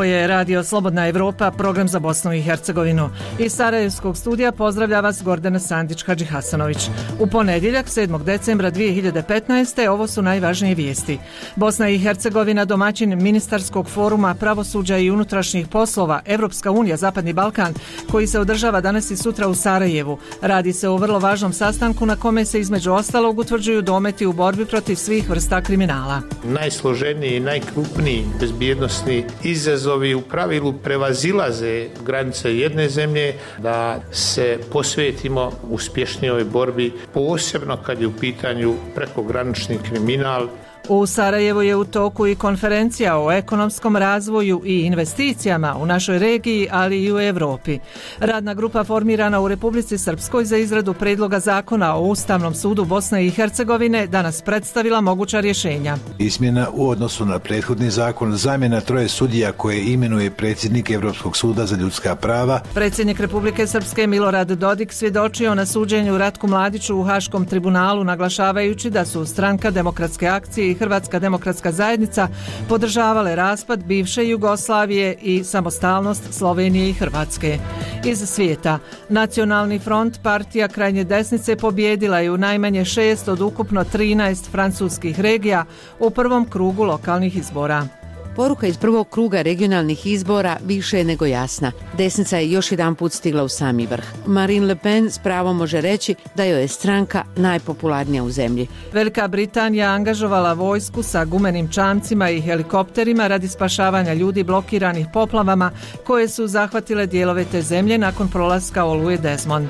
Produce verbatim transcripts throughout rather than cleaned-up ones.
je Radio Slobodna Evropa, program za Bosnu i Hercegovinu. Iz Sarajevskog studija pozdravlja vas Gordana Sandić-Hadžihasanović. U ponedjeljak, sedmog decembra dvije hiljade petnaeste. ovo su najvažnije vijesti. Bosna i Hercegovina, domaćin ministarskog foruma pravosuđa i unutrašnjih poslova Evropska unija Zapadni Balkan, koji se održava danas i sutra u Sarajevu. Radi se o vrlo važnom sastanku na kome se između ostalog utvrđuju dometi u borbi protiv svih vrsta kriminala. Najsloženiji i najkrupniji bezbjednosni izazovi u pravilu prevazilaze granice jedne zemlje, da se posvetimo uspješnijoj borbi, posebno kad je u pitanju prekogranični kriminal. U Sarajevu je u toku i konferencija o ekonomskom razvoju i investicijama u našoj regiji, ali i u Europi. Radna grupa formirana u Republici Srpskoj za izradu predloga zakona o Ustavnom sudu Bosne i Hercegovine danas predstavila moguća rješenja. Izmjena u odnosu na prethodni zakon, zamjena troje sudija koje imenuje predsjednik Europskog suda za ljudska prava. Predsjednik Republike Srpske Milorad Dodik svjedočio na suđenju Ratku Mladiću u Haškom tribunalu, naglašavajući da su Stranka demokratske akcije i Hrvatska demokratska zajednica podržavale raspad bivše Jugoslavije i samostalnost Slovenije i Hrvatske. Iz svijeta, Nacionalni front, partija krajnje desnice, pobjedila je u najmanje šest od ukupno trinaest francuskih regija u prvom krugu lokalnih izbora. Poruka iz prvog kruga regionalnih izbora više je nego jasna. Desnica je još jedan put stigla u sami vrh. Marine Le Pen s pravom može reći da joj je stranka najpopularnija u zemlji. Velika Britanija angažovala vojsku sa gumenim čamcima i helikopterima radi spašavanja ljudi blokiranih poplavama koje su zahvatile dijelove te zemlje nakon prolaska oluje Desmond.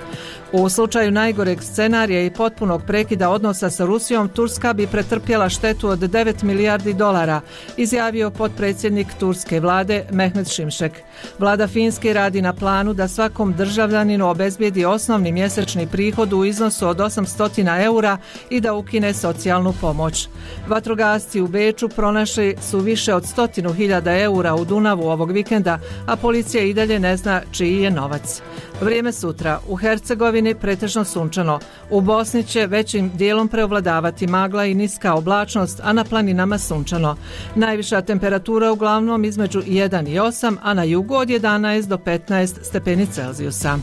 U slučaju najgoreg scenarija i potpunog prekida odnosa sa Rusijom, Turska bi pretrpjela štetu od devet milijardi dolara, izjavio potpredsjednik turske vlade Mehmet Şimşek. Vlada Finske radi na planu da svakom državljaninu obezbijedi osnovni mjesečni prihod u iznosu od osamsto eura i da ukine socijalnu pomoć. Vatrogasci u Beču pronašli su više od stotinu hiljada eura u Dunavu ovog vikenda, a policija i dalje ne zna čiji je novac. Vrijeme sutra. U Hercegovini pretežno sunčano. U Bosni će većim dijelom preovladavati magla i niska oblačnost, a na planinama sunčano. Najviša temperatura uglavnom između jedan i osam, a na jugu od jedanaest do petnaest stepeni Celzijusa.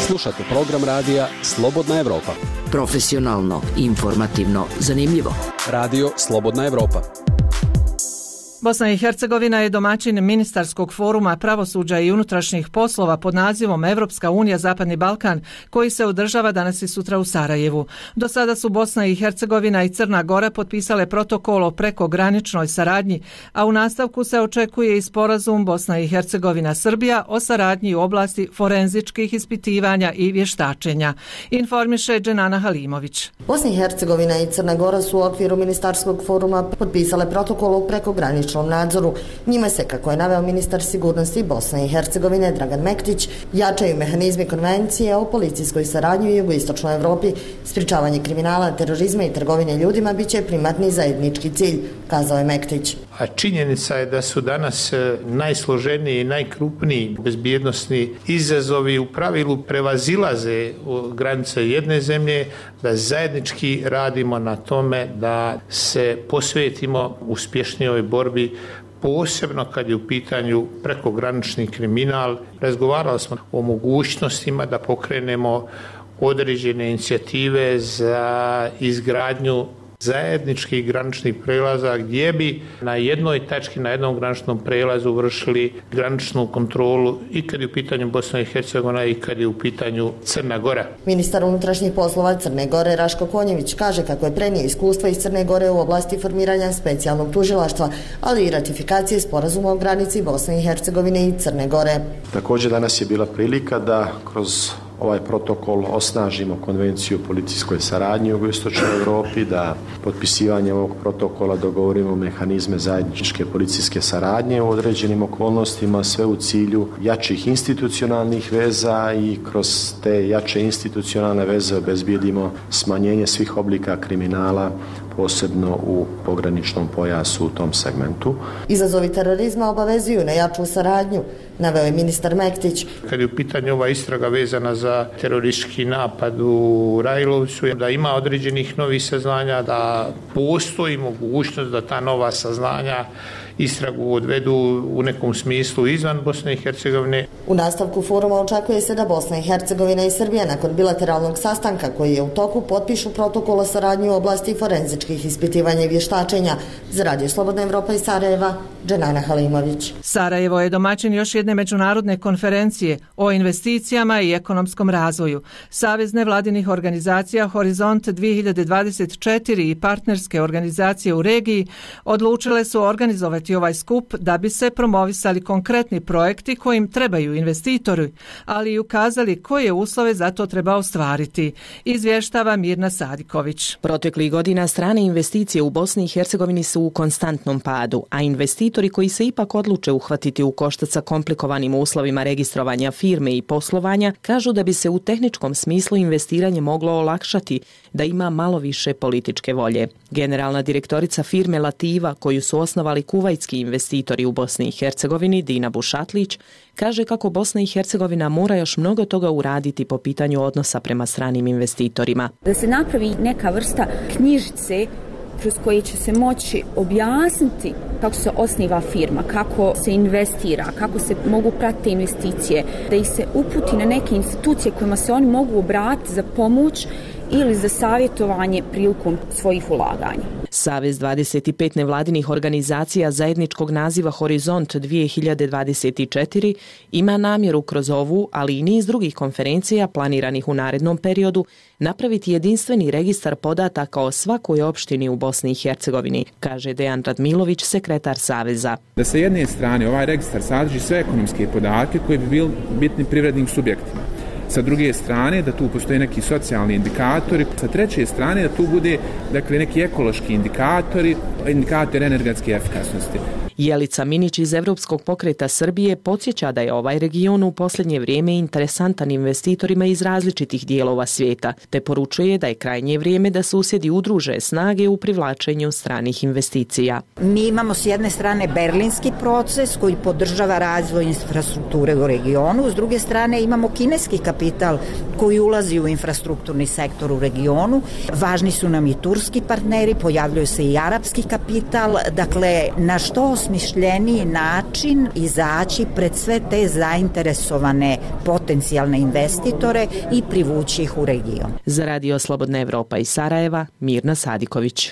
Slušate program radija Slobodna Evropa. Profesionalno, informativno, zanimljivo. Radio Slobodna Evropa. Bosna i Hercegovina je domaćin ministarskog foruma pravosuđa i unutrašnjih poslova pod nazivom Evropska unija Zapadni Balkan, koji se održava danas i sutra u Sarajevu. Do sada su Bosna i Hercegovina i Crna Gora potpisale protokol o prekograničnoj saradnji, a u nastavku se očekuje i sporazum Bosna i Hercegovina Srbija o saradnji u oblasti forenzičkih ispitivanja i vještačenja. Informiše Dženana Halimović. Bosna i Hercegovina i Crna Gora su u okviru ministarskog foruma potpisale protokol o prekograničnoj nadzoru. Njime se, kako je naveo ministar sigurnosti Bosne i Hercegovine Dragan Mektić, jačaju mehanizmi konvencije o policijskoj saradnji u jugoistočnoj Evropi. Sprječavanje kriminala, terorizma i trgovine ljudima biće primarni zajednički cilj, kazao je Mektić. A činjenica je da su danas najsloženiji i najkrupniji bezbjednosni izazovi u pravilu prevazilaze granice jedne zemlje, da zajednički radimo na tome da se posvetimo uspješnijoj borbi, posebno kad je u pitanju prekogranični kriminal. Razgovarali smo o mogućnostima da pokrenemo određene inicijative za izgradnju zajedničkih graničnih prelaza gdje bi na jednoj tački, na jednom graničnom prelazu vršili graničnu kontrolu i kad je u pitanju Bosna i Hercegovina i kad je u pitanju Crna Gora. Ministar unutrašnjih poslova Crne Gore Raško Konjević kaže kako je prenio iskustva iz Crne Gore u oblasti formiranja specijalnog tužilaštva, ali i ratifikacije sporazuma o granici Bosne i Hercegovine i Crne Gore. Također danas je bila prilika da kroz ovaj protokol osnažimo konvenciju o policijskoj saradnji u jugoistočnoj Europi, da potpisivanjem ovog protokola dogovorimo mehanizme zajedničke policijske saradnje u određenim okolnostima, sve u cilju jačih institucionalnih veza i kroz te jače institucionalne veze obezbijedimo smanjenje svih oblika kriminala, posebno u pograničnom pojasu u tom segmentu. Izazovi terorizma obavezuju na jaču saradnju. naveo je ministar Mektić. Kad je u pitanju ova istraga vezana za teroristički napad u Rajlovcu, da ima određenih novih saznanja, da postoji mogućnost da ta nova saznanja istragu odvedu u nekom smislu izvan Bosne i Hercegovine. U nastavku foruma očekuje se da Bosna i Hercegovina i Srbija nakon bilateralnog sastanka koji je u toku potpišu protokol o saradnji u oblasti forenzičkih ispitivanja i vještačenja. Za Radio Slobodna Evropa iz Sarajeva, Dženana Halimović. Sarajevo je domaćin još jedne međunarodne konferencije o investicijama i ekonomskom razvoju. Savez nevladinih organizacija Horizont dvije hiljade dvadeset četiri i partnerske organizacije u regiji odlučile su organizovati ovaj skup da bi se promovisali konkretni projekti kojim trebaju investitori, ali i ukazali koje uslove za to treba ostvariti. Izvještava Mirna Sadiković. Proteklih godina strane investicije u Bosni i Hercegovini su u konstantnom padu, a investitori koji se ipak odluče uhvatiti u koštac sa komplikovanim uslovima registrovanja firme i poslovanja kažu da bi se u tehničkom smislu investiranje moglo olakšati da ima malo više političke volje. Generalna direktorica firme Lativa, koju su osnovali kuvajtski investitori u Bosni i Hercegovini, Dina Bušatlić, kaže kako Bosna i Hercegovina mora još mnogo toga uraditi po pitanju odnosa prema stranim investitorima. Da se napravi neka vrsta knjižice kroz koje će se moći objasniti kako se osniva firma, kako se investira, kako se mogu pratiti investicije, da ih se uputi na neke institucije kojima se oni mogu obratiti za pomoć ili za savjetovanje prilikom svojih ulaganja. Savez dvadeset pet nevladinih organizacija zajedničkog naziva Horizont dvije hiljade dvadeset četiri ima namjeru kroz ovu, ali i niz drugih konferencija planiranih u narednom periodu, napraviti jedinstveni registar podataka o svakoj opštini u Bosni i Hercegovini, kaže Dejan Radmilović, sekretar Saveza. Da sa jedne strane ovaj registar sadrži sve ekonomske podatke koji bi bili bitni privrednim subjektima. Sa druge strane da tu postoje neki socijalni indikatori, sa treće strane da tu bude dakle neki ekološki indikatori, indikatori energetske efikasnosti. Jelica Minić iz Evropskog pokreta Srbije podsjeća da je ovaj region u posljednje vrijeme interesantan investitorima iz različitih dijelova svijeta, te poručuje da je krajnje vrijeme da susjedi udruže snage u privlačenju stranih investicija. Mi imamo s jedne strane berlinski proces koji podržava razvoj infrastrukture u regionu, s druge strane imamo kineski kapital koji ulazi u infrastrukturni sektor u regionu. Važni su nam i turski partneri, pojavljuje se i arapski kapital, dakle na što osmišljeniji način izaći pred sve te zainteresovane potencijalne investitore i privući ih u region. Za Radio Slobodna Evropa iz Sarajeva, Mirna Sadiković.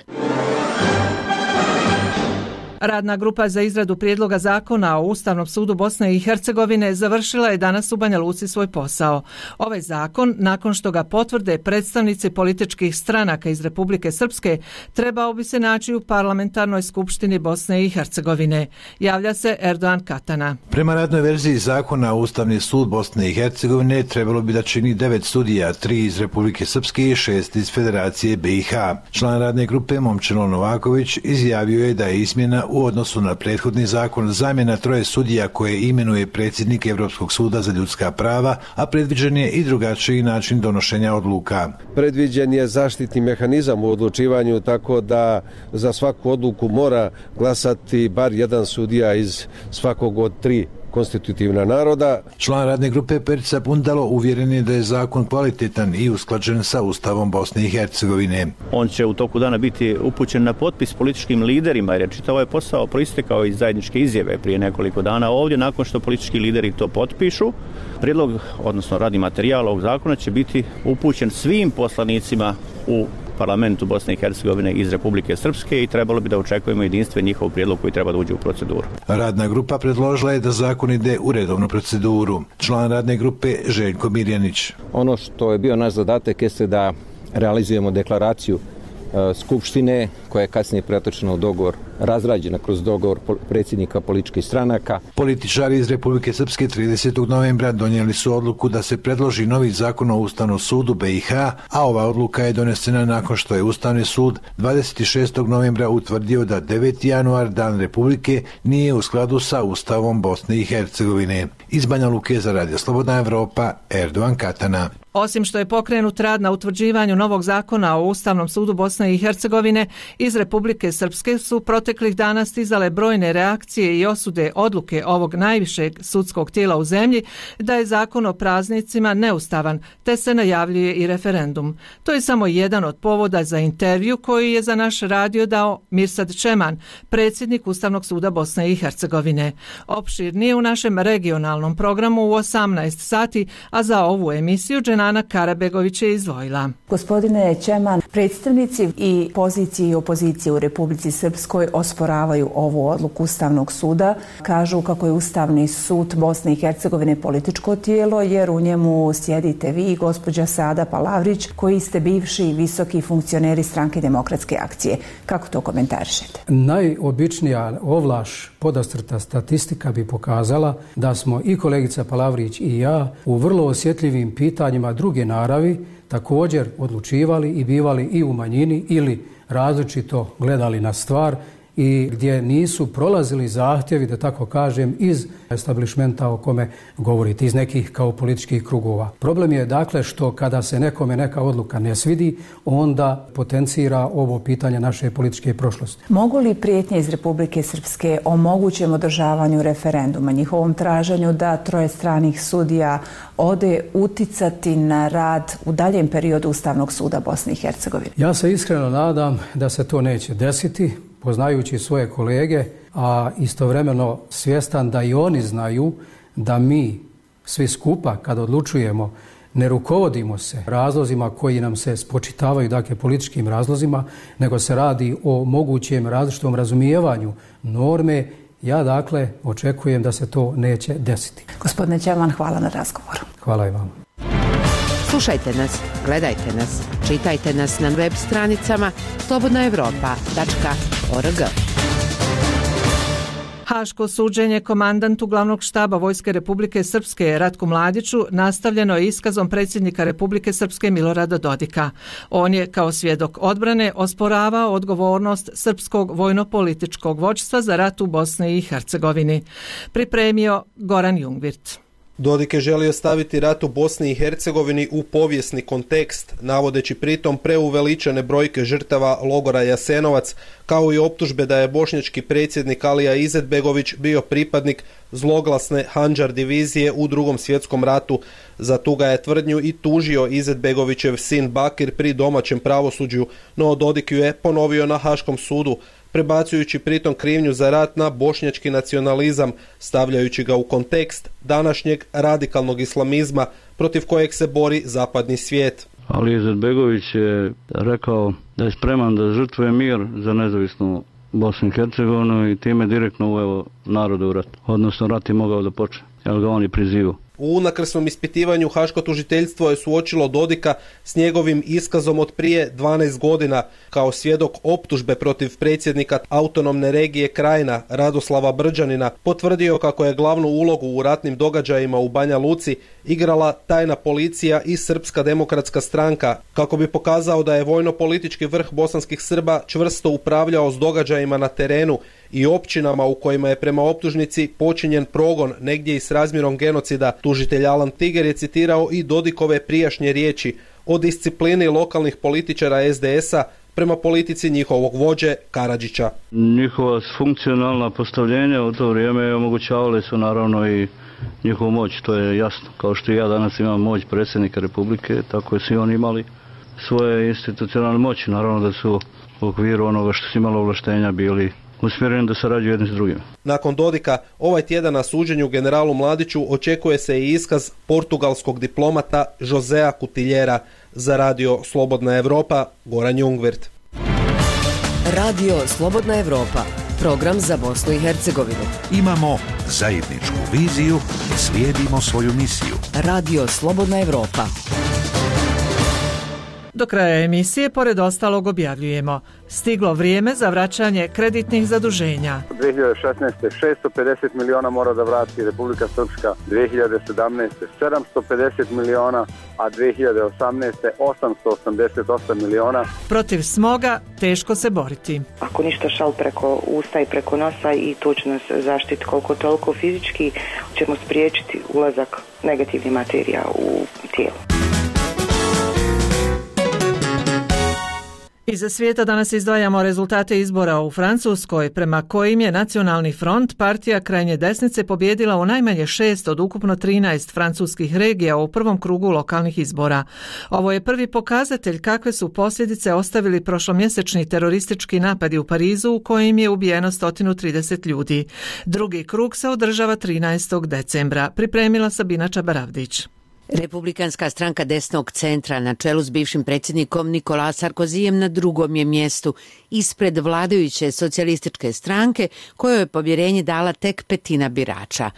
Radna grupa za izradu prijedloga zakona o Ustavnom sudu Bosne i Hercegovine završila je danas u Banja Luci svoj posao. Ovaj zakon, nakon što ga potvrde predstavnici političkih stranaka iz Republike Srpske, trebao bi se naći u parlamentarnoj skupštini Bosne i Hercegovine. Javlja se Erdogan Katana. Prema radnoj verziji zakona Ustavni sud Bosne i Hercegovine trebalo bi da čini devet sudija, tri iz Republike Srpske i šest iz Federacije B i H. Član radne grupe Momčilo Novaković izjavio je da je izmjena u odnosu na prethodni zakon zamjena troje sudija koje imenuje predsjednik Evropskog suda za ljudska prava, a predviđen je i drugačiji način donošenja odluka. Predviđen je zaštitni mehanizam u odlučivanju, tako da za svaku odluku mora glasati bar jedan sudija iz svakog od tri konstitutivna naroda. Član radne grupe Perica Bundalo uvjeren je da je zakon kvalitetan i usklađen sa Ustavom Bosne i Hercegovine. On će u toku dana biti upućen na potpis političkim liderima, jer je čitav ovaj posao proistekao iz zajedničke izjave prije nekoliko dana ovdje. Nakon što politički lideri to potpišu, prijedlog, odnosno radni materijal ovog zakona će biti upućen svim poslanicima u parlamentu Bosne i Hercegovine iz Republike Srpske i trebalo bi da očekujemo jedinstven njihov prijedlog koji treba da uđe u proceduru. Radna grupa predložila je da zakon ide u redovnu proceduru. Član radne grupe Željko Mirjanić. Ono što je bio naš zadatak jeste da realizujemo deklaraciju Skupštine koja je kasnije pretočena u dogovor, razrađena kroz dogovor predsjednika političkih stranaka. Političari iz Republike Srpske tridesetog novembra donijeli su odluku da se predloži novi zakon o Ustavnom sudu B i H, a ova odluka je donesena nakon što je Ustavni sud dvadeset šestog novembra utvrdio da deveti januar, dan Republike, nije u skladu sa Ustavom Bosne i Hercegovine. Iz Banja Luke za Radio Slobodna Evropa, Erdogan Katana. Osim što je pokrenut rad na utvrđivanju novog zakona o Ustavnom sudu Bosne i Hercegovine, iz Republike Srpske su proteklih dana stizale brojne reakcije i osude odluke ovog najvišeg sudskog tijela u zemlji da je zakon o praznicima neustavan, te se najavljuje i referendum. To je samo jedan od povoda za intervju koji je za naš radio dao Mirsad Čeman, predsjednik Ustavnog suda Bosne i Hercegovine. Opširnije u našem regionalnom programu u osamnaest sati, a za ovu emisiju Dženana Karabegović je izdvojila. Gospodine Čeman, predstavnici i pozicije i opozicije u Republici Srpskoj osporavaju ovu odluku Ustavnog suda. Kažu kako je Ustavni sud Bosne i Hercegovine političko tijelo, jer u njemu sjedite vi i gospođa Sada Palavrić, koji ste bivši visoki funkcioneri Stranke demokratske akcije. Kako to komentarišete? Najobičnija ovlaš podastrta statistika bi pokazala da smo i kolegica Palavrić i ja u vrlo osjetljivim pitanjima druge naravi također odlučivali i bivali i u manjini ili različito gledali na stvar i gdje nisu prolazili zahtjevi, da tako kažem, iz establishmenta o kome govorite, iz nekih kao političkih krugova. Problem je dakle što kada se nekome neka odluka ne svidi, onda potencira ovo pitanje naše političke prošlosti. Mogu li prijetnje iz Republike Srpske o mogućem održavanju referenduma, njihovom traženju da troje stranih sudija ode uticati na rad u daljem periodu Ustavnog suda Bosne i Hercegovine? Ja se iskreno nadam da se to neće desiti, poznajući svoje kolege, a istovremeno svjestan da i oni znaju da mi svi skupa kad odlučujemo ne rukovodimo se razlozima koji nam se spočitavaju, dakle političkim razlozima, nego se radi o mogućem različitom razumijevanju norme. Ja dakle očekujem da se to neće desiti. Gospodine Čeman, hvala na razgovoru. Hvala i vam. Slušajte nas, gledajte nas, čitajte nas na web stranicama slobodna evropa tačka org. Haško suđenje komandantu glavnog štaba Vojske Republike Srpske Ratku Mladiću nastavljeno je iskazom predsjednika Republike Srpske Milorada Dodika. On je kao svjedok odbrane osporavao odgovornost srpskog vojno-političkog vođstva za rat u Bosni i Hercegovini. Pripremio Goran Jungvirt. Dodik je želio staviti rat u Bosni i Hercegovini u povijesni kontekst, navodeći pritom preuveličane brojke žrtava logora Jasenovac, kao i optužbe da je bošnjački predsjednik Alija Izetbegović bio pripadnik zloglasne Handžar divizije u Drugom svjetskom ratu. Za tu ga je tvrdnju i tužio Izetbegovićev sin Bakir pri domaćem pravosuđu, no Dodik ju je ponovio na Haškom sudu, prebacujući pritom krivnju za rat na bošnjački nacionalizam, stavljajući ga u kontekst današnjeg radikalnog islamizma protiv kojeg se bori zapadni svijet. Ali Izetbegović je rekao da je spreman da žrtvuje mir za nezavisnu Bosnu i Hercegovinu i time direktno uveo narod u rat. Odnosno rat je mogao da počne, jer ga on je prizivao. U unakrsnom ispitivanju Haško tužiteljstvo je suočilo Dodika s njegovim iskazom od prije dvanaest godina kao svjedok optužbe protiv predsjednika autonomne regije Krajina Radoslava Brđanina. Potvrdio kako je glavnu ulogu u ratnim događajima u Banja Luci igrala tajna policija i Srpska demokratska stranka, kako bi pokazao da je vojno-politički vrh bosanskih Srba čvrsto upravljao s događajima na terenu i općinama u kojima je prema optužnici počinjen progon negdje i s razmjerom genocida. Tužitelj Alan Tiger je citirao i Dodikove prijašnje riječi o disciplini lokalnih političara es de es a prema politici njihovog vođe Karadžića. Njihova funkcionalna postavljenja u to vrijeme omogućavali su naravno i njihovu moć, to je jasno. Kao što i ja danas imam moć predsjednika Republike, tako je svi oni imali svoje institucionalne moći. Naravno da su u okviru onoga što su imali ovlaštenja bili usmjereni da sarađuju jedni s drugim. Nakon Dodika, ovaj tjedan na suđenju generalu Mladiću očekuje se i iskaz portugalskog diplomata Josea Cutiljera. Za radio Slobodna Evropa, Goran Jungvirt. Radio Slobodna Evropa, program za Bosnu i Hercegovinu. Imamo zajedničku viziju i slijedimo svoju misiju. Radio Slobodna Evropa. Do kraja emisije, pored ostalog, objavljujemo: stiglo vrijeme za vraćanje kreditnih zaduženja. dvije hiljade šesnaeste. šesto pedeset miliona mora da vrati Republika Srpska, dvije hiljade sedamnaeste. sedamsto pedeset miliona, a dvije hiljade osamnaeste. osamsto osamdeset osam miliona. Protiv smoga teško se boriti. Ako ništa šal preko usta i preko nosa, i to će nas zaštiti koliko toliko fizički, ćemo spriječiti ulazak negativnih materija u tijelo. Iza svijeta danas izdvajamo rezultate izbora u Francuskoj, prema kojim je Nacionalni front, partija krajnje desnice, pobjedila u najmanje šest od ukupno trinaest francuskih regija u prvom krugu lokalnih izbora. Ovo je prvi pokazatelj kakve su posljedice ostavili prošlomjesečni teroristički napadi u Parizu u kojim je ubijeno sto trideset ljudi. Drugi krug se održava trinaestog decembra. Pripremila Sabina Čabaravdić. Republikanska stranka desnog centra na čelu s bivšim predsjednikom Nicolas Sarkozijem na drugom je mjestu, ispred vladajuće socijalističke stranke kojoj je povjerenje dala tek petina birača.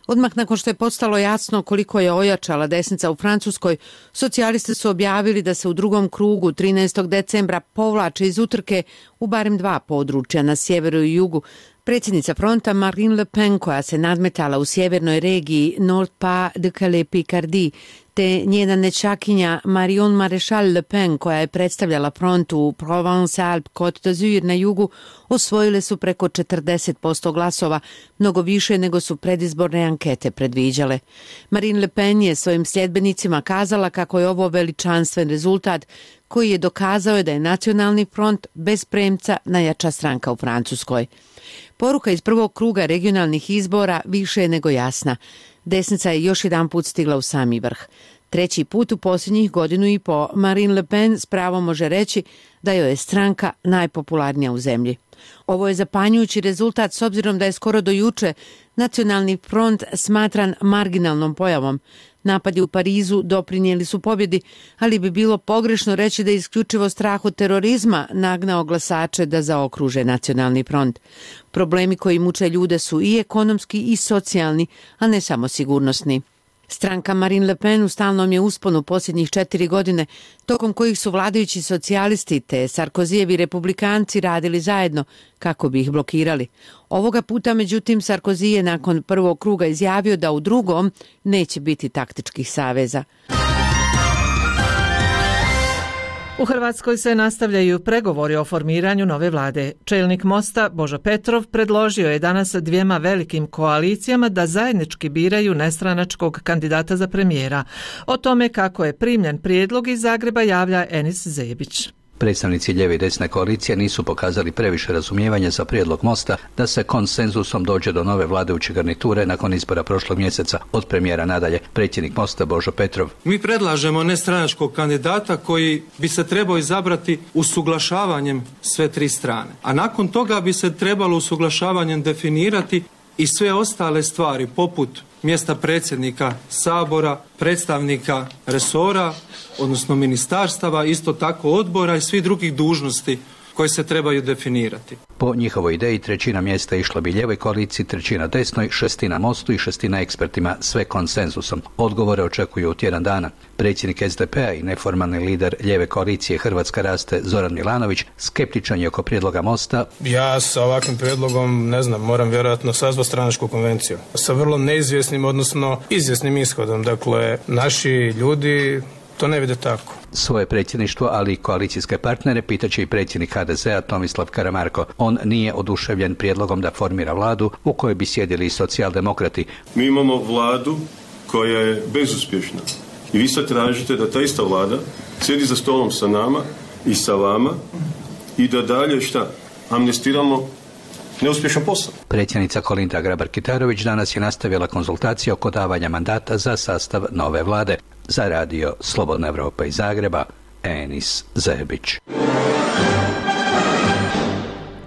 Odmah nakon što je postalo jasno koliko je ojačala desnica u Francuskoj, socijalisti su objavili da se u drugom krugu trinaestog decembra povlače iz utrke u barem dva područja na sjeveru i jugu. Predsjednica fronta Marine Le Pen, koja se nadmetala u sjevernoj regiji Nord-Pas-de-Calais-Picardie, te njena nečakinja Marion Maréchal Le Pen, koja je predstavljala front u Provence-Alpes-Côte d'Azur na jugu, osvojile su preko četrdeset posto glasova, mnogo više nego su predizborne ankete predviđale. Marine Le Pen je svojim sljedbenicima kazala kako je ovo veličanstven rezultat koji je dokazao da je Nacionalni front bez premca najjača stranka u Francuskoj. Poruka iz prvog kruga regionalnih izbora više je nego jasna. Desnica je još jedan put stigla u sami vrh. Treći put u posljednjih godinu i po Marine Le Pen s pravom može reći da joj je stranka najpopularnija u zemlji. Ovo je zapanjujući rezultat s obzirom da je skoro do juče Nacionalni front smatran marginalnom pojavom. Napadi u Parizu doprinijeli su pobjedi, ali bi bilo pogrešno reći da je isključivo strah od terorizma nagnao glasače da zaokruže Nacionalni front. Problemi koji muče ljude su i ekonomski i socijalni, a ne samo sigurnosni. Stranka Marine Le Pen u stalnom je usponu posljednjih četiri godine, tokom kojih su vladajući socijalisti te Sarkozijevi republikanci radili zajedno kako bi ih blokirali. Ovoga puta, međutim, Sarkozy je nakon prvog kruga izjavio da u drugom neće biti taktičkih saveza. U Hrvatskoj se nastavljaju pregovori o formiranju nove vlade. Čelnik Mosta Božo Petrov predložio je danas dvijema velikim koalicijama da zajednički biraju nestranačkog kandidata za premijera. O tome kako je primljen prijedlog iz Zagreba javlja Enis Zebić. Predstavnici lijeve i desne koalicije nisu pokazali previše razumijevanja za prijedlog Mosta da se konsenzusom dođe do nove vladajuće garniture nakon izbora prošlog mjeseca. Od premijera nadalje, predsjednik Mosta Božo Petrov. Mi predlažemo nestranačkog kandidata koji bi se trebao izabrati usuglašavanjem sve tri strane. A nakon toga bi se trebalo usuglašavanjem definirati i sve ostale stvari poput mjesta predsjednika Sabora, predstavnika resora, odnosno ministarstava, isto tako odbora i svih drugih dužnosti koje se trebaju definirati. Po njihovoj ideji trećina mjesta išla bi lijevoj koaliciji, trećina desnoj, šestina Mostu i šestina ekspertima, sve konsenzusom. Odgovore očekuju u tjedan dana. Predsjednik S D P-a i neformalni lider lijeve koalicije Hrvatska raste Zoran Milanović skeptičan je oko prijedloga Mosta. Ja sa ovakvim prijedlogom, ne znam, moram vjerojatno sazvati stranačku konvenciju. Sa vrlo neizvjesnim, odnosno izvjesnim ishodom. Dakle, naši ljudi to ne vide tako. Svoje predsjedništvo, ali i koalicijske partnere pitaće i predsjednik H D Z-a Tomislav Karamarko. On nije oduševljen prijedlogom da formira vladu u kojoj bi sjedili i socijaldemokrati. Mi imamo vladu koja je bezuspješna. I vi sad tražite da ta ista vlada sjedi za stolom sa nama i sa vama i da dalje šta? Amnestiramo neuspješan posao. Predsjednica Kolinda Grabar-Kitarović danas je nastavila konzultacije oko davanja mandata za sastav nove vlade. Za radio Slobodna Evropa iz Zagreba, Enis Zebić.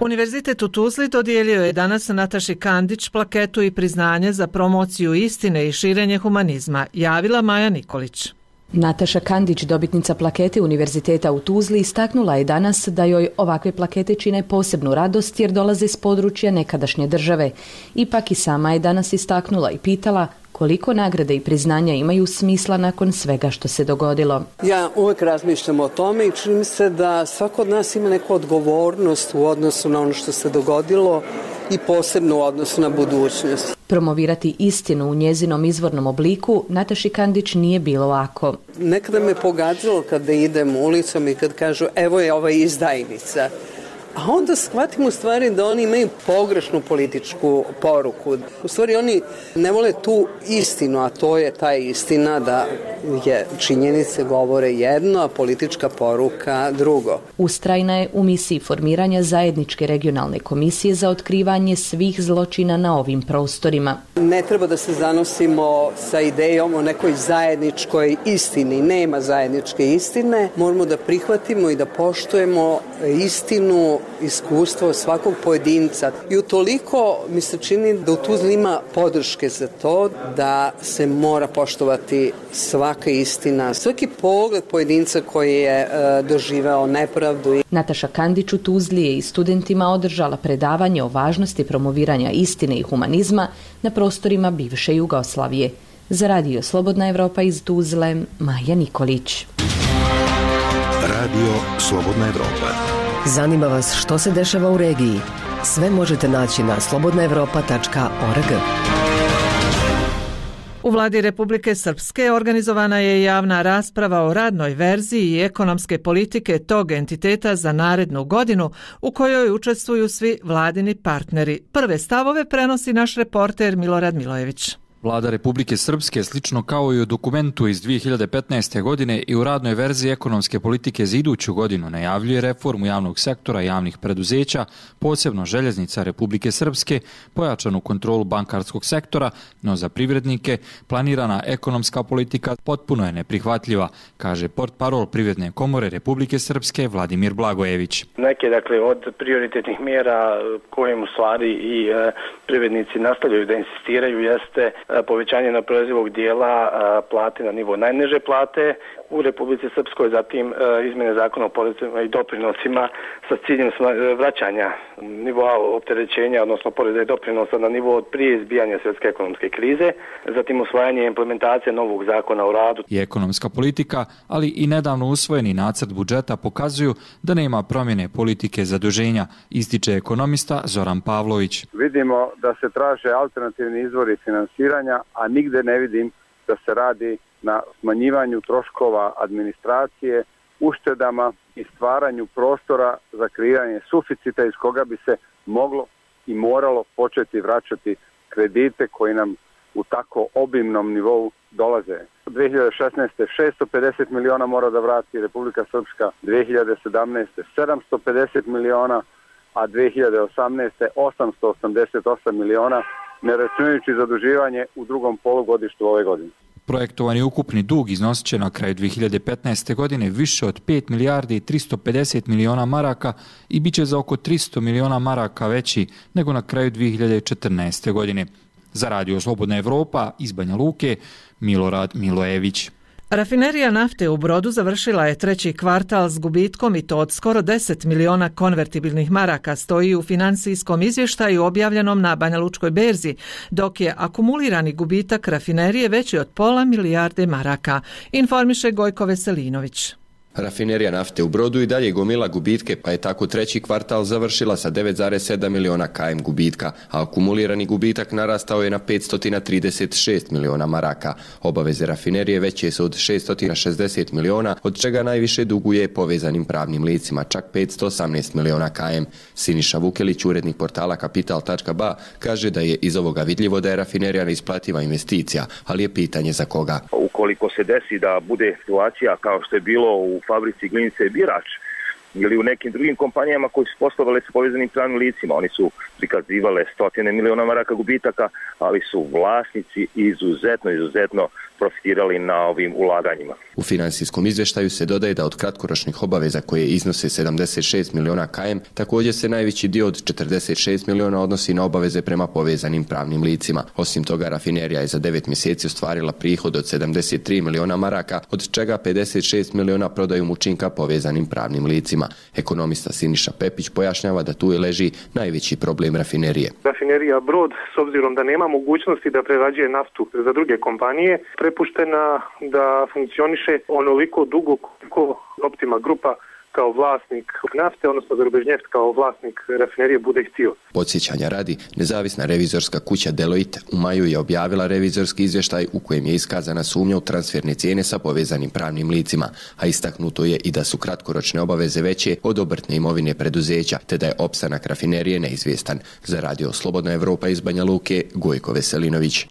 Univerzitet u Tuzli dodijelio je danas Nataši Kandić plaketu i priznanje za promociju istine i širenje humanizma, javila Maja Nikolić. Nataša Kandić, dobitnica plakete Univerziteta u Tuzli, istaknula je danas da joj ovakve plakete čine posebnu radost jer dolaze s područja nekadašnje države. Ipak i sama je danas istaknula i pitala koliko nagrade i priznanja imaju smisla nakon svega što se dogodilo. Ja uvijek razmišljam o tome i čini mi se da svako od nas ima neku odgovornost u odnosu na ono što se dogodilo i posebno u odnosu na budućnost. Promovirati istinu u njezinom izvornom obliku Nataši Kandić nije bilo lako. Nekada me pogađalo kada idem ulicom i kad kažu evo je ova izdajnica. a onda shvatimo u stvari da oni imaju pogrešnu političku poruku. U stvari oni ne vole tu istinu, a to je ta istina da je činjenice govore jedno, a politička poruka drugo. Ustrajna je u misiji formiranja zajedničke regionalne komisije za otkrivanje svih zločina na ovim prostorima. Ne treba da se zanosimo sa idejom o nekoj zajedničkoj istini. Nema zajedničke istine. Moramo da prihvatimo i da poštujemo istinu, iskustvo svakog pojedinca. I utoliko mi se čini da u Tuzli ima podrške za to da se mora poštovati svaka istina, svaki pogled pojedinca koji je e, doživeo nepravdu. Nataša Kandić u Tuzli je i studentima održala predavanje o važnosti promoviranja istine i humanizma na prostorima bivše Jugoslavije. Za Radio Slobodna Evropa iz Tuzle, Maja Nikolić. Radio Slobodna Evropa. Zanima vas što se dešava u regiji? Sve možete naći na slobodna evropa tačka org. U vladi Republike Srpske organizovana je javna rasprava o radnoj verziji i ekonomske politike tog entiteta za narednu godinu u kojoj učestvuju svi vladini partneri. Prve stavove prenosi naš reporter Milorad Milojević. Vlada Republike Srpske, slično kao i u dokumentu iz dvije hiljade petnaeste. godine i u radnoj verziji ekonomske politike za iduću godinu, najavljuje reformu javnog sektora i javnih preduzeća, posebno željeznica Republike Srpske, pojačanu kontrolu bankarskog sektora, no za privrednike planirana ekonomska politika potpuno je neprihvatljiva, kaže portparol Privredne komore Republike Srpske Vladimir Blagojević. Neke dakle od prioritetnih mjera kojim u stvari i e, privrednici nastavljaju da insistiraju jeste povećanje neoporezivog dijela plate na nivo najniže plate u Republici Srpskoj, zatim izmjene zakona o porezima i doprinosima sa ciljem vraćanja nivoa opterećenja, odnosno poreza i doprinosa na nivo od prije izbijanja svjetske ekonomske krize, zatim usvajanje i implementacije novog zakona o radu. I ekonomska politika, ali i nedavno usvojeni nacrt budžeta pokazuju da nema promjene politike zaduženja, ističe ekonomista Zoran Pavlović. Vidimo da se traže alternativni izvori finansiranja, a nigde ne vidim da se radi na smanjivanju troškova administracije, uštedama i stvaranju prostora za kreiranje suficita iz koga bi se moglo i moralo početi vraćati kredite koji nam u tako obimnom nivou dolaze. dvije hiljade šesnaeste. šesto pedeset miliona mora da vrati Republika Srpska, dvije hiljade sedamnaeste. sedamsto pedeset miliona, a dvije hiljade osamnaeste. osamsto osamdeset osam miliona, ne računajući zaduživanje u drugom polugodištu ove godine. Projektovani ukupni dug iznosit će na kraju dvije hiljade petnaeste. godine više od pet milijardi i tristo pedeset miliona maraka i bit će za oko tristo miliona maraka veći nego na kraju dvije hiljade četrnaeste. godine. Za Radio Slobodna Evropa iz Banja Luke, Milorad Milojević. Rafinerija nafte u Brodu završila je treći kvartal s gubitkom i to od skoro deset miliona konvertibilnih maraka, stoji u financijskom izvještaju objavljenom na Banjalučkoj berzi, dok je akumulirani gubitak rafinerije veći od pola milijarde maraka, informiše Gojko Veselinović. Rafinerija nafte u Brodu i dalje gomila gubitke, pa je tako treći kvartal završila sa devet zarez sedam miliona km gubitka, a akumulirani gubitak narastao je na petsto trideset šest miliona maraka. Obaveze rafinerije veće su od šeststo šezdeset miliona, od čega najviše duguje povezanim pravnim licima, čak petsto osamnaest miliona km. Siniša Vukelić, urednik portala kapital tačka ba, kaže da je iz ovoga vidljivo da je rafinerija neisplativa investicija, ali je pitanje za koga. Ukoliko se desi da bude situacija kao što je bilo u fabrici Glinice Birač ili u nekim drugim kompanijama koji su poslovale sa povezanim pravnim licima, oni su prikazivale stotine miliona maraka gubitaka, ali su vlasnici izuzetno, izuzetno profitirali na ovim ulaganjima. U finansijskom izvještaju se dodaje da od kratkoročnih obaveza koje iznose sedamdeset šest miliona km, također se najveći dio od četrdeset šest miliona odnosi na obaveze prema povezanim pravnim licima. Osim toga, rafinerija je za devet mjeseci ostvarila prihod od sedamdeset tri miliona maraka, od čega pedeset šest miliona prodajom učinka povezanim pravnim licima. Ekonomista Siniša Pepić pojašnjava da tu je leži najveći problem rafinerije. Rafinerija Brod, s obzirom da nema mogućnosti da prerađuje naftu za druge kompanije, prepuštena da funkcioniše onoliko dugo koliko Optima grupa kao vlasnik nafte, odnosno Azerbejdžneft kao vlasnik rafinerije bude htio. Podsjećanja radi, nezavisna revizorska kuća Deloitte u maju je objavila revizorski izvještaj u kojem je iskazana sumnja u transferne cijene sa povezanim pravnim licima, a istaknuto je i da su kratkoročne obaveze veće od obrtne imovine preduzeća, te da je opstanak rafinerije neizvjestan. Za Radio Slobodna Evropa iz Banja Luke, Gojko Veselinović.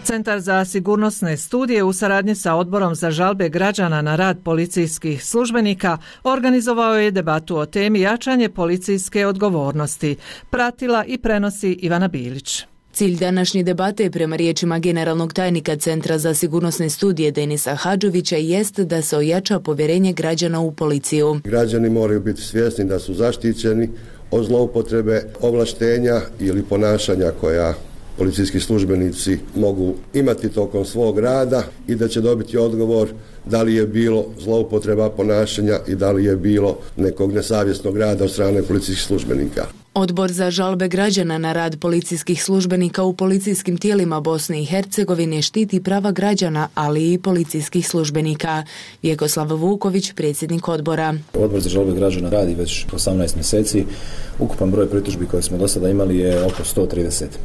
Centar za sigurnosne studije u saradnji sa Odborom za žalbe građana na rad policijskih službenika organizovao je debatu o temi jačanje policijske odgovornosti. Pratila i prenosi Ivana Bilić. Cilj današnje debate, prema riječima generalnog tajnika Centra za sigurnosne studije Denisa Hadžovića, jest da se ojača povjerenje građana u policiju. Građani moraju biti svjesni da su zaštićeni od zloupotrebe ovlaštenja ili ponašanja koja policijski službenici mogu imati tokom svog rada i da će dobiti odgovor da li je bilo zloupotreba ponašanja i da li je bilo nekog nesavjesnog rada od strane policijskih službenika. Odbor za žalbe građana na rad policijskih službenika u policijskim tijelima Bosne i Hercegovine štiti prava građana, ali i policijskih službenika. Vjekoslav Vuković, predsjednik odbora. Odbor za žalbe građana radi već osamnaest mjeseci. Ukupan broj pritužbi koje smo do sada imali je oko sto trideset.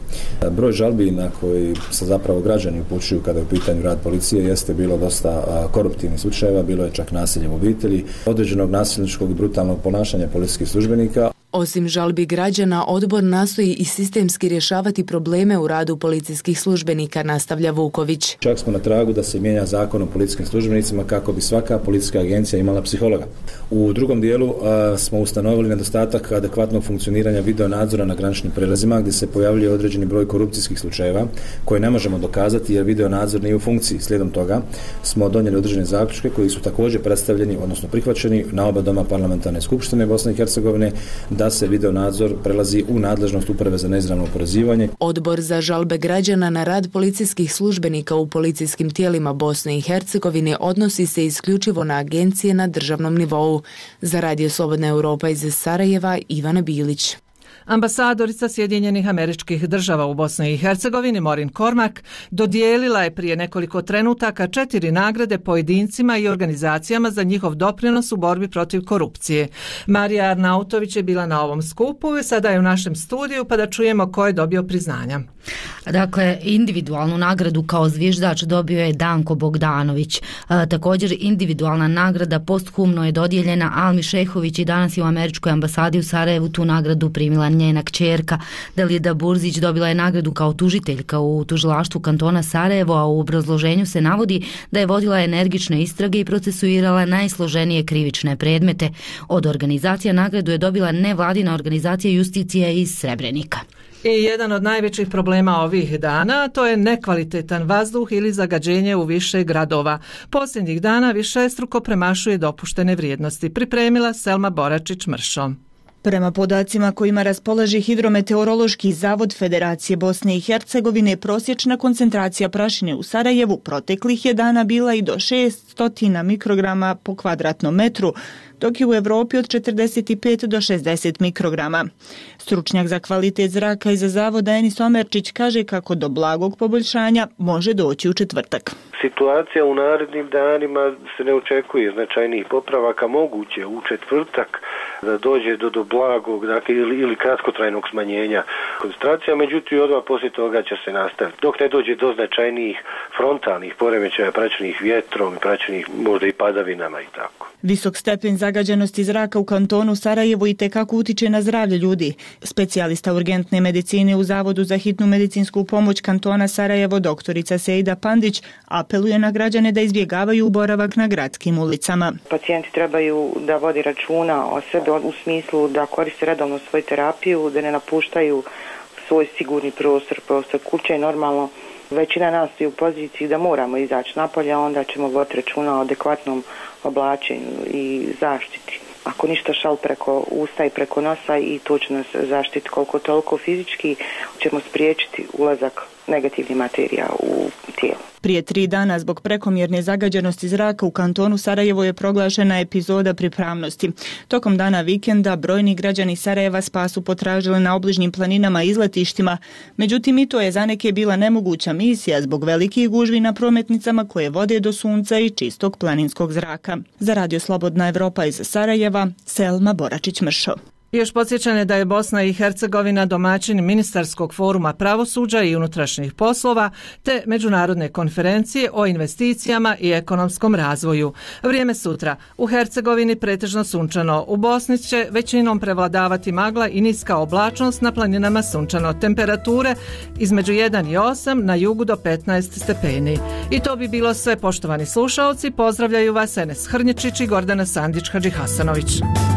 Broj žalbi na koji se zapravo građani upućuju kada je u pitanju rad policije jeste bilo dosta koruptivnih slučajeva, bilo je čak nasilje u obitelji, određenog nasilničkog i brutalnog ponašanja policijskih službenika. Osim žalbi građana, odbor nastoji i sistemski rješavati probleme u radu policijskih službenika, nastavlja Vuković. Čak smo na tragu da se mijenja zakon o policijskim službenicima kako bi svaka policijska agencija imala psihologa. U drugom dijelu a, smo ustanovili nedostatak adekvatnog funkcioniranja videonadzora na graničnim prelazima gdje se pojavljuje određeni broj korupcijskih slučajeva koje ne možemo dokazati jer videonadzor nije u funkciji. Slijedom toga smo donijeli određene zaključke koji su također predstavljeni, odnosno prihvaćeni na oba doma parlamentarne skupštine Bosne i Hercegovine, da se videonadzor prelazi u nadležnost Uprave za neizravno oporezivanje. Odbor za žalbe građana na rad policijskih službenika u policijskim tijelima Bosne i Hercegovine odnosi se isključivo na agencije na državnom nivou. Za Radio Slobodna Europa iz Sarajeva, Ivana Bilić. Ambasadorica Sjedinjenih Američkih Država u Bosni i Hercegovini Maureen Cormack dodijelila je prije nekoliko trenutaka četiri nagrade pojedincima i organizacijama za njihov doprinos u borbi protiv korupcije. Marija Arnautović je bila na ovom skupu i sada je u našem studiju, pa da čujemo ko je dobio priznanja. Dakle, individualnu nagradu kao zviždač dobio je Danko Bogdanović. A, također individualna nagrada posthumno je dodijeljena Almi Šehović i danas je u Američkoj ambasadi u Sarajevu tu nagradu primila njena kćerka. Dalida Burzić dobila je nagradu kao tužiteljka u tužilaštvu kantona Sarajevo, a u obrazloženju se navodi da je vodila energične istrage i procesuirala najsloženije krivične predmete. Od organizacija nagradu je dobila nevladina organizacija Justicija iz Srebrenika. I jedan od najvećih problema ovih dana to je nekvalitetan vazduh ili zagađenje u više gradova. Posljednjih dana višestruko premašuje dopuštene vrijednosti. Pripremila Selma Boračić-Mršo. Prema podacima kojima raspolaže Hidrometeorološki zavod Federacije Bosne i Hercegovine, prosječna koncentracija prašine u Sarajevu proteklih je dana bila i do šesto mikrograma po kvadratnom metru, dok je u Evropi od četrdeset pet do šezdeset mikrograma. Stručnjak za kvalitet zraka iza zavoda Enis Omerčić kaže kako do blagog poboljšanja može doći u četvrtak. Situacija u narednim danima se ne očekuje značajnijih popravaka, moguće u četvrtak da dođe do, do blagog dakle, ili, ili kratkotrajnog smanjenja koncentracija, međutim odmah poslije toga će se nastaviti. Dok ne dođe do značajnijih frontalnih poremećaja praćenih vjetrom, praćenih možda i padavinama i tako. Visok stepen zagađenosti zraka u kantonu Sarajevo i tekako utiče na zdravlje ljudi. Specijalista urgentne medicine u Zavodu za hitnu medicinsku pomoć kantona Sarajevo, doktorica Sejda Pandić, apeluje na građane da izbjegavaju boravak na gradskim ulicama. Pacijenti trebaju da vodi računa o sebi u smislu da koriste redovno svoju terapiju, da ne napuštaju svoj sigurni prostor, prostor kuće. Normalno, većina nas je u poziciji da moramo izaći napolje, onda ćemo voditi računa o adekvatnom oblačenju i zaštiti. Ako ništa šal preko usta i preko nosa i to će nas zaštiti koliko toliko fizički, ćemo spriječiti ulazak negativnih materija u tijelu. Prije tri dana zbog prekomjerne zagađenosti zraka u kantonu Sarajevo je proglašena epizoda pripravnosti. Tokom dana vikenda brojni građani Sarajeva spas su potražili na obližnjim planinama i izletištima, međutim i to je za neke bila nemoguća misija zbog velikih gužvi na prometnicama koje vode do sunca i čistog planinskog zraka. Za Radio Slobodna Evropa iz Sarajeva, Selma Boračić-Mršo. Još podsjećanje da je Bosna i Hercegovina domaćin ministarskog foruma pravosuđa i unutrašnjih poslova te međunarodne konferencije o investicijama i ekonomskom razvoju. Vrijeme sutra. U Hercegovini pretežno sunčano. U Bosni će većinom prevladavati magla i niska oblačnost, na planinama sunčano. Temperature između jedan i osam, na jugu do petnaest stepeni. I to bi bilo sve, poštovani slušaoci. Pozdravljaju vas Enes Hrnječić i Gordana Sandić-Hadžihasanović.